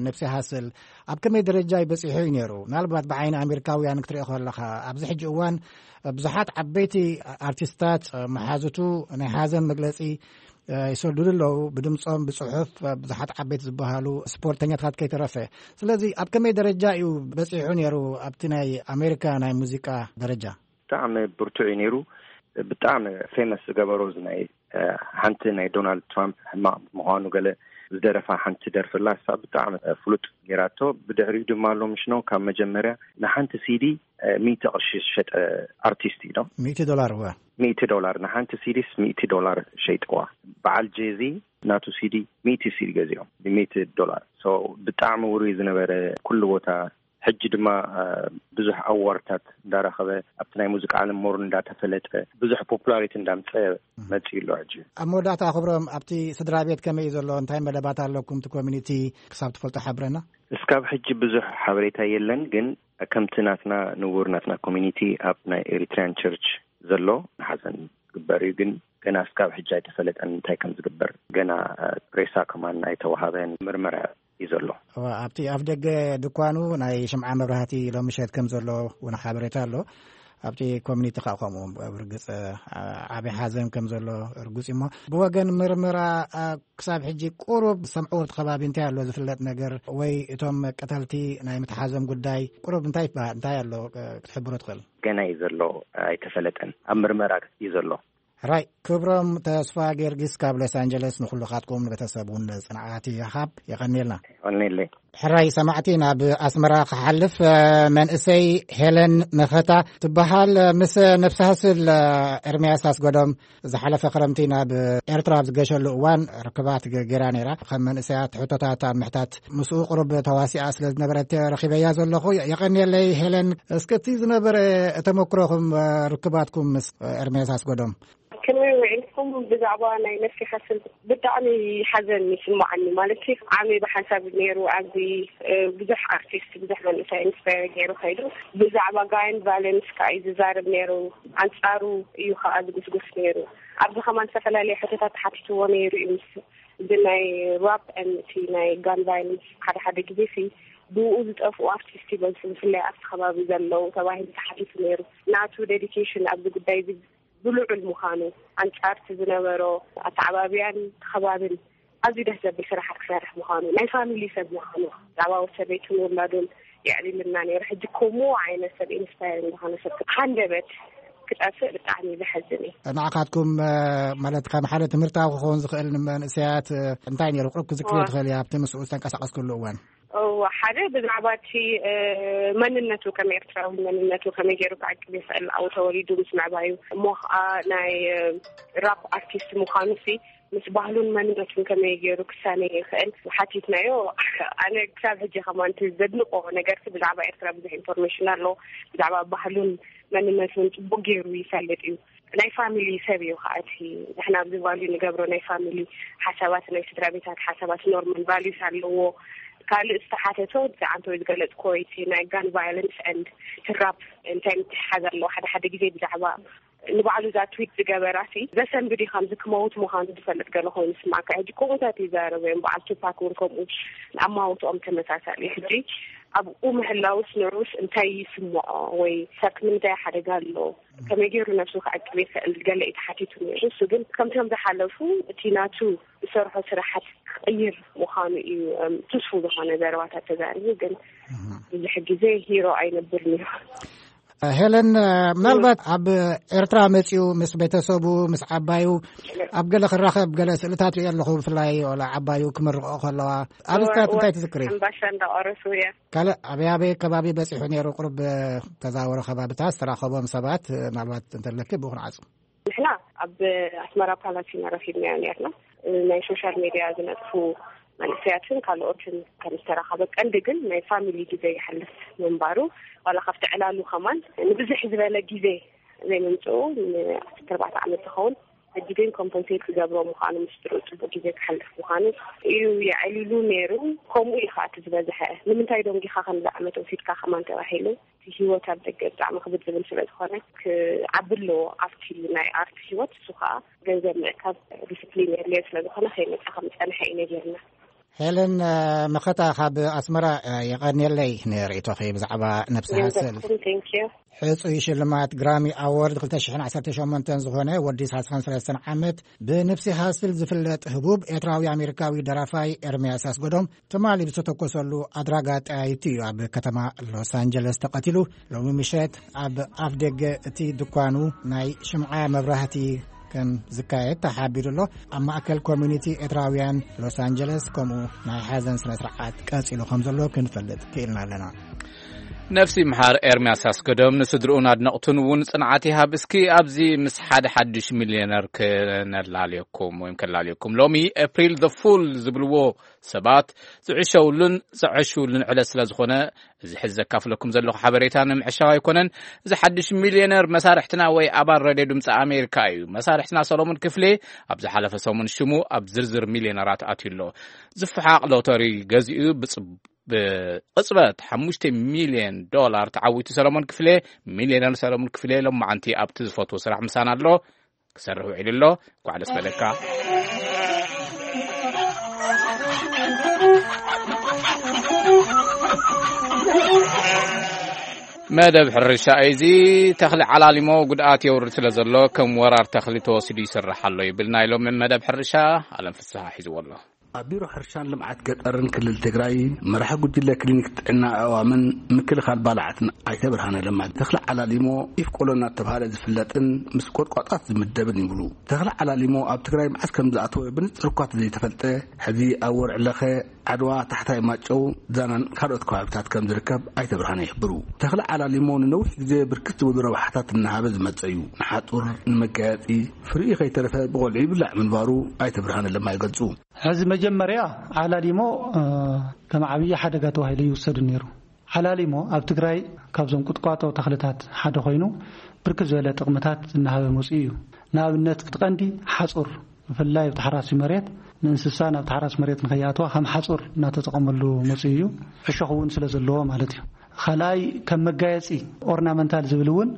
ነብሲ ሃስል ኣብ ከመይ ደረጃ ይበጺሑ እዩ ነይሩ? ምናልባት ብዓይኒ ኣሜሪካውያን ክትሪኦ ከለኻ ኣብዚ ሕጂ እዋን ብዙሓት ዓበይቲ ኣርቲስታት መሓዙቱ ናይ ሓዘን መግለጺ ይሰዱሉ ኣለዉ፣ ብድምጾም ብጽሑፍ ብዙሓት ዓበይቲ ዝበሃሉ ስፖርተኛታት ከይተረፈ። ስለዚ ኣብ ከመይ ደረጃ እዩ በጺሑ ነይሩ ኣብቲ ናይ ኣሜሪካ ናይ ሙዚቃ ደረጃ? ብጣዕሚ ብርቱዕ እዩ ነይሩ። ብጣዕሚ ፌመስ ዝገበሮ እዚ ናይ ሓንቲ ናይ ዶናልድ ትራምፕ ሕማቕ ምዃኑ ገለ ዝደረፋ ሓንቲ ደርፍላ እሳ ብጣዕሚ ፍሉጥ ጌራቶ። ብድሕሪኡ ድማ ኣሎ ምሽ ነው ካብ መጀመርያ ንሓንቲ ሲዲ ሚእቲ ቅርሺ ዝሸጠ ኣርቲስት እዩ። ሚእቲ ዶላር እወ። ሚእቲ ዶላር ንሓንቲ ሲዲስ ሚእቲ ዶላር ሸይጥዋ። በዓል ጄዚ ናቱ ሲዲ ሚእቲ ሲዲ ገዚኦም ብሚእቲ ዶላር። ብጣዕሚ ውሩይ ዝነበረ ኩሉ ቦታ። ሕጂ ድማ ብዙሕ ኣዋርታት እንዳረኸበ ኣብቲ ናይ ሙዚቃ ዓለም ሞር እንዳተፈለጠ ብዙሕ ፖፑላሪቲ እንዳምፀ መፅኡ ኣሎ። ሕጂ ኣብ መወዳእታ ክብሮም ኣብቲ ስድራ ቤት ከመይ እዩ ዘሎ? እንታይ መደባት ኣለኩም? እቲ ኮሚኒቲ ክሳብ ትፈልጦ ሓብረና። እስካብ ሕጂ ብዙሕ ሓበሬታ የለን፣ ግን ከምቲ ናትና ንቡር ናትና ኮሚኒቲ ኣብ ናይ ኤሪትሪያን ቸርች ዘሎ ንሓዘን ዝግበር እዩ፣ ግን ገና እስካብ ሕጂ ኣይተፈለጠን እንታይ ከም ዝግበር። ገና ሬሳ ከማን ኣይተዋሃበን፣ ምርመራ እዩ ዘሎ። ኣብቲ ኣፍ ደገ ድኳኑ ናይ ሽምዓ መብራህቲ ሎምሸት ከም ዘሎ እውን ሓበሬታ ኣሎ። ኣብቲ ኮሚኒቲ ከዓ ከምኡ ርግፅ ዓብዪ ሓዘን ከም ዘሎ ርጉፅ እሞ ብወገን ምርመራ ክሳብ ሕጂ ቁሩብ ሰምዕዎ እቲ ከባቢ እንታይ ኣሎ ዝፍለጥ ነገር ወይ እቶም ቀተልቲ ናይ ምትሓዞም ጉዳይ ቁሩብ እንታይ ይበሃል እንታይ ኣሎ ክትሕብሮ ትኽእል? ገና እዩ ዘሎ፣ ኣይተፈለጠን፣ ኣብ ምርመራ እዩ ዘሎ። ራይ ክብሮም ተስፋ ጊዮርጊስ ካብ ሎስ ኣንጀለስ ንኩልኻትኩም ንቤተሰብ እውን ጽንዓት ይሃብ። የቐንየልና። የቐንየለይ። ሕራይ ሰማዕቲ ናብ ኣስመራ ክሓልፍ፣ እ፣ መንእሰይ ሄለን መኸታ ትበሃል፣ እ፣ ምስ ነፍሲ ሃስል፣ እ፣ ኤርምያስ ኣስገዶም ዝሓለፈ ክረምቲ ናብ ኤርትራ ኣብ ዝገሸሉ እዋን ርክባት ገ-፣ ገይራ ነይራ። ከም መንእሰያት ሕቶታት ኣብ ምሕታት ምስኡ ቁሩብ ተዋሲኣ ስለ ዝነበረት ረኺበያ ዘለኹ። የ-፣ የቐንየለይ ሄለን። እስከ እቲ ዝነበረ ተመክሮኹም፣ እ፣ ርክባትኩም ምስ፣ እ፣ ኤርምያስ ኣስገዶም? ከመይ ውዒልኩም? ብዛዕባ ናይ ነፍሲ ሓስል ብጣዕሚ ሓዘን ይስምዓኒ። ማለት ዓሚ ብሓንሳብ ነይሩ ኣብዚ፣ እ፣ ብዙሕ ኣርቲስት፣ ብዙሕ መንእሰይ ኢንስፓየር ገይሩ ከይዱ። ብዛዕባ ጋይን ቫዮለንስ ከዓ እዩ ዝዛረብ ነይሩ። ኣንጻሩ እዩ ከዓ ዝጉስጉስ ነይሩ። ኣብዚ ከማን ዝተፈላለየ ሕቶታት ተሓቲትዎ ነይሩ እዩ። ምስ እዚ ናይ ራፕ ን እቲ ናይ ጋን ቫዮለንስ ሓደ ሓደ ግዜ ሲ ብኡ ዝጠፍኡ ኣርቲስት ይበዝሑ፣ ብፍላይ ኣብቲ ከባቢ ዘለዉ ተባሂሉ ተሓቲቱ ነይሩ። ናቱ ዴዲኬሽን ኣብዚ ጉዳይ እዚ ብልዑል ምዃኑ፣ ኣንጻርቲ ዝነበሮ ኣተዓባብያን ከባብን ኣዝዩ ደስ ዘብል ስራሓት ክሰርሕ ምዃኑ፣ ናይ ፋሚሊ ሰብ ምዃኑ፣ ብዛዕባ ወሰበይቱን ውላዱን የዕሊልና ነይሩ። ሕጂ ከምኡ ዓይነት ሰብ ኢንስፓየር ዝኾነ ሰብ ሃንደበት ክጠፍእ ብጣዕሚ ዘሐዝን እዩ። ንዓኻትኩም፣ እ፣ ማለት ከም ሓደ ትምህርታዊ ክኸውን ዝኽእል ንመንእሰያት፣ እ፣ እንታይ ነይሩ ቁሩብ ክዝክርዮ እዋ። ትኽእል እያ ኣብቲ ምስኡ ዝተንቀሳቐስክሉ እዋን? እዋ፣ ሓደ ብዛዕባ እቲ፣ እ፣ መንነቱ ከም ኤርትራዊ መንነቱ ከመይ ገይሩ ክዕቅብ ይኽእል ኣብኡ ተወሊዱ ምስ ምዕባዩ እሞ ኸዓ ናይ፣ እ፣ ራፕ ኣርቲስት ምዃኑ ሲ ምስ ባህሉን መንነቱን ከመይ ገይሩ ክሳነ ይኽእል ሓቲትናዮ። ኣነ ክሳብ ሕጂ ከማን እቲ ዘድንቆ ነገር ሲ ብዛዕባ ኤርትራ ብዙሕ ኢንፎርሜሽን ኣሎ፣ ብዛዕባ ባህሉን መንነቱን ጽቡቅ ገይሩ ይፈልጥ እዩ። ናይ ፋሚሊ ሰብ እዩ ከዓ እቲ ንሕና ኣብዚ ቫልዩ ንገብሮ ናይ ፋሚሊ ሓሳባት፣ ናይ ስድራ ቤታት ሓሳባት፣ ኖርማል ቫልዩስ ኣለዎ። ካልእ ዝተሓተቶ እቲ ዓንተወይ ዝገለጽኮ እቲ ናይ ጋን ቫዮለንስ ኤንድ ትራፕ እንታይ ምትሕሓዝ ኣለዎ? ሓደ ሓደ ግዜ ብዛዕባ ንባዕሉ እዛ ትዊት ዝገበራ ሲ ዘሰንብድ እዩ፣ ከምዚ ክመውት ምዃኑ ዝፈልጥ ገለ ኮይኑ ስማዕካ። ሕጂ ከምኡታት ይዛረቡ እዮም። በዓል ቱፓክ እውን ከምኡ ኣማውትኦም ተመሳሳሊ እዩ። ሕጂ ኣብኡ ምህላውስ ንዑስ እንታይ ይስምዖ ወይ ሰብ ንምንታይ ሓደጋ ኣሎ? ከመይ ገይሩ ነብሱ ክዕቅብ ይኽእል? ገለ እዩ ተሓቲቱ ነይሩ። እሱ ግን ከምቶም ዝሓለፉ እቲ ናቱ ዝሰርሖ ስራሓት ክቕይር ምዃኑ እዩ፣ እም፣ ትስፉ ዝኾነ ዘረባታት ተዛሪቡ። ግን ብዙሕ ግዜ ሂሮ ኣይነብርን እዩ። ሄለን፣ ምናልባት ኣብ ኤርትራ መጺኡ ምስ ቤተሰቡ፣ ምስ ዓባዩ ኣብ ገለ ክራኸብ ገለ ስእልታት ሪኦ ኣለኹ፣ ብፍላይ ወላ ዓባዩ ክምርቕኦ ከለዋ። ኣብ እወ፣ ስታት እወ። እንታይ ትዝክሪ? ኣምባሻ እንዳቆረሱ እያ። ካልእ ኣበይ ኣበይ ከባቢ በጺሑ ነይሩ? ቁሩብ ተዛወረ ከባብታት ዝተራኸቦም ሰባት ምናልባት እንተለኪ ብኡ ክንዓጹ። ንሕና ኣብ ኣስመራ ፓላስ ኢና ረኺብናዮ ነርና። ናይ ሶሻል ሜድያ ዝነጥፉ መንእሰያትን ካልኦትን ከም ዝተራኸበ፣ ቀንዲ ግን ናይ ፋሚሊ ግዜ ይሓልፍ ምንባሩ፣ ዋላ ካብቲ ዕላሉ ከማን ንብዝሕ ዝበለ ግዜ ዘይምምፅኡ፣ ንዓሰርተ ኣርባዕተ ዓመት ዝኸውን፣ ሕጂ ግን ኮምፐንሴት ክገብሮ ምዃኑ፣ ምስ ስድርኡ ፅቡቅ ግዜ ክሓልፍ ምዃኑ እዩ የዕሊሉ ነይሩ። ከምኡ እዩ ከዓ እቲ ዝበዝሐ። ንምንታይ ዶ እንዲኻ ከምዚ ዓመት ወሲድካ ከማን ተባሂሉ፣ እቲ ህይወት ኣብ ደገ ብጣዕሚ ክብድ ዝብል ስለ ዝኾነ፣ ክዓቢ ኣለዎ ኣብቲ ናይ ኣርት ህይወት። እሱ ከዓ ገንዘብ ምእካብ፣ ዲስፕሊን የድልዮ ስለ ዝኾነ፣ ከይመፀ ከም ዝፀንሐ እዩ ነጊርና። ሄለን፣ እ፣ መኸታ ካብ ኣስመራ፣ እ፣ የቐንየለይ ንርእይቶኺ ብዛዕባ ነብሲ ሃስል። ንዘኩም፣ ቴንክ ዩ። ሕጹይ ሽልማት ግራሚ ኣዎርድ ክልተ ሽሕን ዓሰርተ ሸሞንተን ዝኾነ፣ ወዲ ሰላሳን ሰለስተን ዓመት፣ ብነብሲ ሃስል ዝፍለጥ ህቡብ ኤርትራዊ ኣሜሪካዊ ደራፋይ ኤርምያስ ኣስገዶም፣ ትማሊ ብዝተተኮሰሉ ኣድራጋ ጠያይቲ እዩ ኣብ ከተማ ሎስ ኣንጀለስ ተቐቲሉ። ሎሚ ምሸት ኣብ ኣፍ ደገ እቲ ድኳኑ ናይ ሽምዓ መብራህቲ ከም ዝካየድ ተሓቢሩ ኣሎ። ኣብ ማእከል ኮሚኒቲ ኤርትራውያን ሎስ ኣንጀለስ ከምኡ ናይ ሓዘን ስነ ስርዓት ቀጺሉ ከም ዘሎ ክንፈልጥ ክኢልና ኣለና። ነፍሲ ምሓር ኤርምያስ ኣስገዶም ንስድርኡን ኣድነቕቱን እውን ጽንዓት ይሃብ። እስኪ ኣብዚ ምስ ሓደ ሓድሽ ሚልዮነር ክነላልየኩም ወይም ከላልየኩም። ሎሚ ኤፕሪል the ፉል ዝብልዎ ሰባት ዝዕሸውሉን ዝዕሽውሉን ዕለት ስለ ዝኾነ፣ እዚ ሕዚ ዘካፍለኩም ዘለኹ ሓበሬታ ንምዕሻው ኣይኮነን። እዚ ሓድሽ ሚልዮነር መሳርሕትና ወይ ኣባል ሬድዮ ድምፂ ኣሜሪካ እዩ። መሳርሕትና ሰሎሞን ክፍሌ ኣብ ዝሓለፈ ሰሙን ሽሙ ኣብ ዝርዝር ሚልዮነራት ኣትዩ ኣሎ። ዝፈሓቕ ሎተሪ ገዚኡ ብፅ-፣ ብቕፅበት ሓሙሽተ ሚልዮን ዶላር ተዓዊቱ። ሰሎሞን ክፍሌ፣ ሚልዮነር ሰሎሞን ክፍሌ፣ ሎማዓንቲ ኣብቲ ዝፈትዎ ስራሕ ምሳና ኣሎ። ክሰርሕ ውዒሉ ኣሎ። እንኳዕ ደስ በለካ። መደብ ሕርሻ እዩ። እዚ ተኽሊ ዓላሊሞ ጉድኣት የውርድ ስለ ዘሎ፣ ከም ወራር ተኽሊ ተወሲዱ ይስራሕ ኣሎ ይብል ናይ ሎሚ መደብ ሕርሻ። ኣለም ፍስሓ ሒዝዎ ኣሎ። ኣብ ቢሮ ሕርሻን ልምዓት ገጠርን ክልል ትግራይ መራሒ ጉጅለ ክሊኒክ ጥዕና ኣእዋምን ምክልኻል ባልዓትን ኣይተ ብርሃነ ለማ፣ ተኽሊ ዓላሊሞ ኢፍ ቆሎ እናተባህለ ዝፍለጥን ምስ ቆጥቋጣት ዝምደብን ይብሉ። ተኽሊ ዓላሊሞ ኣብ ትግራይ መዓስ ከም ዝኣተወ ብንፅር እኳ ዘይተፈልጠ፣ ሕዚ ኣብ ወርዒ ለኸ፣ ዓድዋ፣ ታሕታይ ማጨው፣ ዛናን ካልኦት ከባቢታት ከም ዝርከብ ኣይተ ብርሃነ ይሕብሩ። ተኽሊ ዓላሊሞ ንነዊሕ ግዜ ብርክት ዝበሉ ረብሓታት እናሃበ ዝመፀ እዩ። ንሓፁር፣ ንመጋየፂ፣ ፍሪኡ ከይተረፈ ብቆልዑ ይብላዕ ምንባሩ ኣይተ ብርሃነ ለማ ይገልፁ። ሕዚ መጀመርያ ዓላሊሞ፣ እ፣ ከም ዓብዪ ሓደጋ ተባሂሉ ይውሰድ ነይሩ። ዓላሊሞ ኣብ ትግራይ ካብዞም ቁጥቋጦ ተኽልታት ሓደ ኮይኑ ብርክት ዝበለ ጥቕምታት እናሃበ መፅኡ እዩ። ንኣብነት እቲ ቀንዲ ሓፁር፣ ብፍላይ ኣብቲ ሓራሲ መሬት ንእንስሳ ናብ ተሓራሲ መሬት ንኸይኣትዋ ከም ሓፁር እናተጠቐመሉ መፅኡ እዩ። ዕሾኽ እውን ስለ ዘለዎ ማለት እዩ። ካልኣይ ከም መጋየፂ ኦርናመንታል ዝብል እውን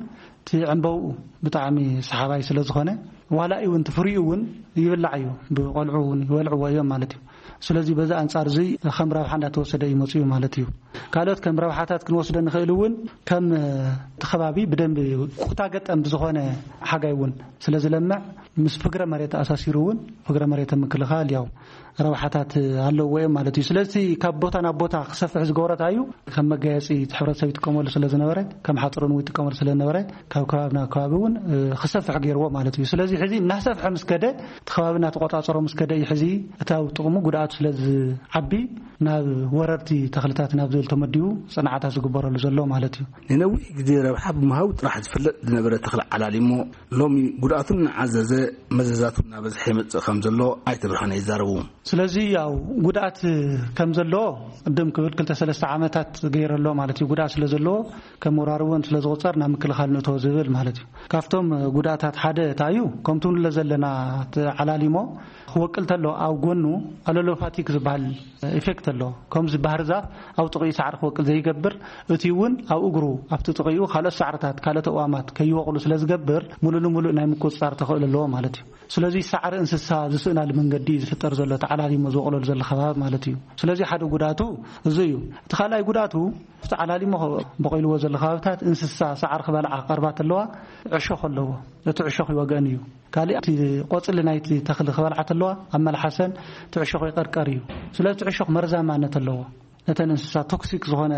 እቲ ዕምበብኡ ብጣዕሚ ሰሓባይ ስለ ዝኾነ ዋላ እውን እቲ ፍሪኡ እውን ይብላዕ እዩ። ብቆልዑ እውን ይበልዕዎ እዮም ማለት እዩ። ስለዚ በዚ ኣንጻር እዚ ከም ረብሓ እንዳተወሰደ እዩ መፅኡ ማለት እዩ። ካልኦት ከም ረብሓታት ክንወስዶ ንኽእል እውን ከም እቲ ከባቢ ብደንብ ኩታ ገጠም ብዝኾነ ሓጋይ እውን ስለ ዝለምዕ ምስ ፍግረ መሬት ኣሳሲሩ እውን ፍግረ መሬት ምክልኻል ያው ረብሓታት ኣለዎ እዮም ማለት እዩ። ስለዚ ካብ ቦታ ናብ ቦታ ክሰፍሕ ዝገበረታ እዩ ከም መጋየፂ እቲ ሕብረተሰብ ይጥቀመሉ ስለ ዝነበረ ከም ሓፅርን እውን ይጥቀመሉ ስለ ዝነበረ ካብ ከባቢ ናብ ከባቢ እውን ክሰፍሕ ገይርዎ ማለት እዩ። ስለዚ ሕዚ እናሰፍሐ ምስ ከደ እቲ ከባቢ እናተቆፃፀሮ ምስ ከደ እዩ ሕዚ እቲ ኣብ ጥቕሙ ጉድኣቱ ስለ ዝዓቢ ናብ ወረርቲ ተኽልታት ናብ ዝብል ተመዲቡ ፅንዓታት ዝግበረሉ ዘሎ ማለት እዩ። ንነዊሕ ግዜ ረብሓ ብምሃቡ ጥራሕ ዝፍለጥ ዝነበረ ተኽሊ ዓላሊሞ ሎሚ ጉድኣቱ እናዓዘዘ መዘዛቱ እናበዝሐ ይመፅእ ከም ዘሎ ኣይተ ብርሃነ ይዛረቡ። ስለዚ ያው ጉድኣት ከም ዘሎ ቅድም ክብል ክልተ ሰለስተ ዓመታት ገይረ ኣሎ ማለት እዩ። ጉድኣት ስለ ዘለዎ ከም ወራሪ እውን ስለ ዝቑፀር ናብ ምክልኻል ንእቶ ዝብል ማለት እዩ። ካብቶም ጉድኣታት ሓደ እንታይ እዩ? ከምቲ ንብሎ ዘለና እቲ ዓላሊሞ ክወቅል ተሎ ኣብ ጎኑ ኣሎሎፋቲክ ዝበሃል ኢፌክት ኣሎ። ከምዚ ባህር ዛፍ ኣብ ጥቕኡ ሳዕሪ ክወቅል ዘይገብር፣ እቲ እውን ኣብ እግሩ ኣብቲ ጥቕኡ ካልኦት ሳዕርታት ካልኦት ኣእዋማት ከይወቕሉ ስለ ዝገብር ሙሉ ንሙሉእ ናይ ምቁፅፃር ተኽእሎ ኣለዎ ማለት እዩ። ስለዚ ሳዕሪ እንስሳ ዝስእናሉ መንገዲ እዩ ዝፍጠር ዘሎ፣ እቲ ዓላሊሞ ዝበቕለሉ ዘሎ ከባቢ ማለት እዩ። ስለዚ ሓደ ጉድኣቱ እዚ እዩ። እቲ ካልኣይ ጉድኣቱ እቲ ዓላሊሞ በቂልዎ ዘሎ ከባብታት እንስሳ ሳዕሪ ክበልዓ ክቐርባ ተለዋ ዕሾኽ ኣለዎ። እቲ ዕሾኽ ይወገን እዩ። ካልእ እቲ ቆፅሊ ናይቲ ተኽሊ ክበልዓ ተለዋ ኣብ መልሓሰን እቲ ዕሾኽ ይቐርቀር እዩ። ስለዚ እቲ ዕሾኽ መርዛማነት ኣለዎ። ነተን እንስሳ ቶክሲክ ዝኾነ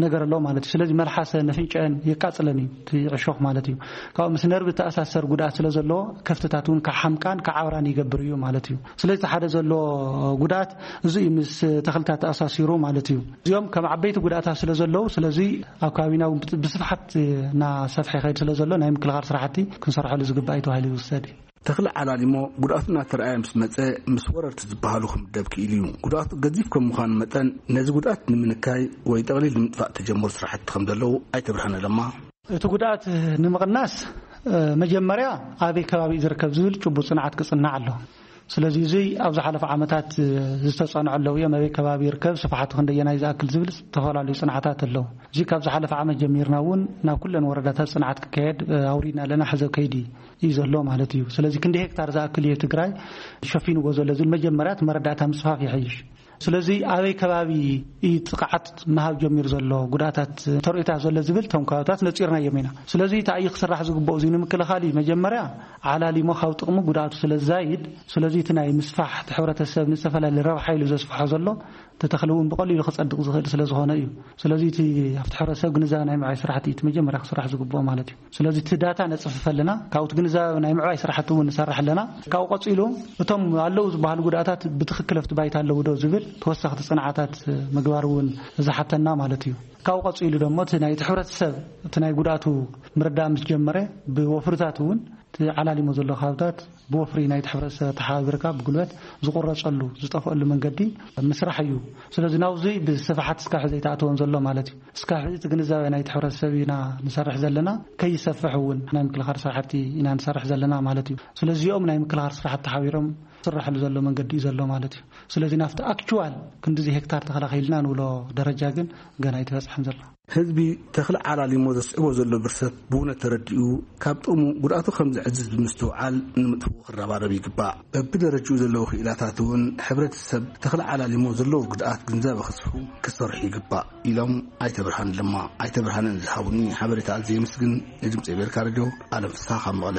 ነገር ኣለዎ ማለት እዩ። ስለዚ መልሓሰን ኣፍንጫኣን የቃፅለን እዩ እቲ ዕሾኽ ማለት እዩ። ካብኡ ምስ ነርቭ ተኣሳሰር ጉድኣት ስለ ዘለዎ ከፍትታት እውን ክሓምቃን ክዓብራን ይገብር እዩ ማለት እዩ። ስለዚ እቲ ሓደ ዘሎ ጉድኣት እዚ እዩ ምስ ተኽልታት ተኣሳሲሩ ማለት እዩ። እዚኦም ከም ዓበይቲ ጉድኣታት ስለ ዘለዉ ስለዚ ኣብ ከባቢና እውን ብስፍሓት እናሰፍሐ ይኸይድ ስለ ዘሎ ናይ ምክልኻል ስራሕቲ ክንሰርሐሉ ዝግባእ እዩ ተባሂሉ ይውሰድ እዩ። ተኽሊ ዓላሊሞ ጉድኣቱ እናተረኣየ ምስ መፀ ምስ ወረርቲ ዝበሃሉ ክምደብ ክኢሉ እዩ። ጉድኣቱ ገዚፍ ከም ምዃኑ መጠን ነዚ ጉድኣት ንምንካይ ወይ ጠቕሊል ንምጥፋእ ተጀመሩ ስራሕቲ ከም ዘለዉ ኣይተ ብርሃነ ለማ። እቲ ጉድኣት ንምቕናስ መጀመርያ ኣበይ ከባቢ እዩ ዝርከብ ዝብል ጭቡጥ ፅንዓት ክፅናዕ ኣሎ። ስለዚ እዚ ኣብ ዝሓለፈ ዓመታት ዝተፀንዐ ኣለዉ እዮም። ኣበይ ከባቢ ይርከብ፣ ስፍሓቱ ክንደየናይ ዝኣክል ዝብል ዝተፈላለዩ ፅንዓታት ኣለዉ። እዚ ካብ ዝሓለፈ ዓመት ጀሚርና እውን ናብ ኩለን ወረዳታት ፅንዓት ክካየድ ኣውሪድና ኣለና። ሕዚ ከይዲ እዩ ዘሎ ማለት እዩ። ስለዚ ክንዲ ሄክታር ዝኣክል እዩ ትግራይ ሸፊንዎ ዘሎ ዝብል መጀመርያ እቲ መረዳእታ ምስፋፍ ይሕይሽ። ስለዚ ኣበይ ከባቢ እዩ ጥቕዓት ምሃብ ጀሚሩ ዘሎ፣ ጉድኣታት ተርእዮታት ዘሎ ዝብል እቶም ከባብታት ነፂርናዮም ኢና። ስለዚ እንታይ እዩ ክስራሕ ዝግብኦ እዚ ንምክልኻል እዩ። መጀመርያ ዓላሊሞ ካብ ጥቕሙ ጉድኣቱ ስለ ዝዛይድ፣ ስለዚ እቲ ናይ ምስፋሕ እቲ ሕብረተሰብ ንዝተፈላለየ ረብሓ ኢሉ ዘስፍሖ ዘሎ እቲ ተኽሊ እውን ብቐሊሉ ክፀድቕ ዝኽእል ስለ ዝኾነ እዩ። ስለዚ እቲ ኣብቲ ሕብረተሰብ ግንዛበ ናይ ምዕባይ ስራሕቲ እቲ መጀመርያ ክስራሕ ዝግብኦ ማለት እዩ። ስለዚ እቲ ዳታ ነፅፍፍ ኣለና፣ ካብኡ እቲ ግንዛበ ናይ ምዕባይ ስራሕቲ እውን ንሰርሕ ኣለና። ካብኡ ቀፂሉ እቶም ኣለዉ ዝበሃሉ ጉድኣታት ብትኽክል ኣብቲ ባይታ ኣለዉ ዶ ዝብል ተወሳኽቲ ፅንዓታት ምግባር እውን ዝሓተና ማለት እዩ። ካብኡ ቀፂሉ ደሞ እቲ ናይቲ ሕብረተሰብ እቲ ናይ ጉድኣቱ ምርዳእ ምስ ጀመረ ብወፍርታት እውን እቲ ዓላሊሞ ዘሎ ከባብታት ብወፍሪ ናይቲ ሕብረተሰብ ተሓባቢርካ ብጉልበት ዝቑረፀሉ ዝጠፍአሉ መንገዲ ምስራሕ እዩ። ስለዚ ናብዚ ብስፍሓት እስካብ ሕዚ ኣይተኣተወን ዘሎ ማለት እዩ። እስካብ ሕዚ እቲ ግንዛበ ናይቲ ሕብረተሰብ ኢና ንሰርሕ ዘለና፣ ከይሰፍሕ እውን ናይ ምክልኻል ስራሕቲ ኢና ንሰርሕ ዘለና ማለት እዩ። ስለዚኦም ናይ ምክልኻል ስራሕቲ ተሓቢሮም ዝስራሕሉ ዘሎ መንገዲ እዩ ዘሎ ማለት እዩ። ስለዚ ናብቲ ኣክቹዋል ክንዲዚ ሄክታር ተኸላኺልና ንብሎ ደረጃ ግን ገና ኣይተበፅሐን ዘሎ። ህዝቢ ተኽሊ ዓላሊሞ ዘስዕቦ ዘሎ ብርሰት ብእውነት ተረዲኡ ካብ ጥቕሙ ጉድኣቱ ከም ዘዕዝዝ ብምስትውዓል ንምጥፍኡ ክረባረብ ይግባእ። በብደረጅኡ ዘለዉ ክኢላታት እውን ሕብረተሰብ ተኽሊ ዓላሊሞ ዘለዎ ጉድኣት ግንዛበ ክስፉ ክሰርሑ ይግባእ ኢሎም ኣይተ ብርሃን ለማ። ኣይተ ብርሃን ንዝሃቡኒ ሓበሬታ ኣዝየ የመስግን። ንድምፂ ኣሜሪካ ሬድዮ ኣለም ፍስሃ ካብ መቐለ።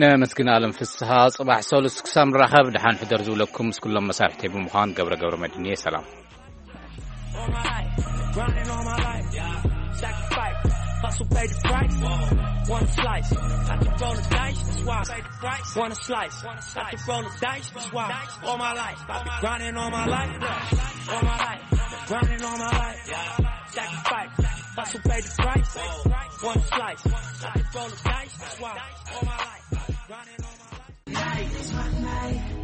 ነመስግን ኣለም ፍስሃ። ጽባሕ ሰሉስ ክሳብ ንራኸብ ደሓን ሕደር ዝብለኩም ምስ ኩሎም መሳርሕተይ ብምዃን ገብረ ገብረ መድህን እየ። ሰላም። All my life, grinding all my life, yeah. Sacrifice, hustle, pay the price. One slice, I can roll the dice, that's why. Pay the price. One slice, I can roll the dice, that's why. All my life, I've been grinding all my life, yeah. All my life, grinding all my life, yeah. Sacrifice, hustle, pay the price. One slice, I can roll the dice, that's why. All my life, I've been grinding all my life.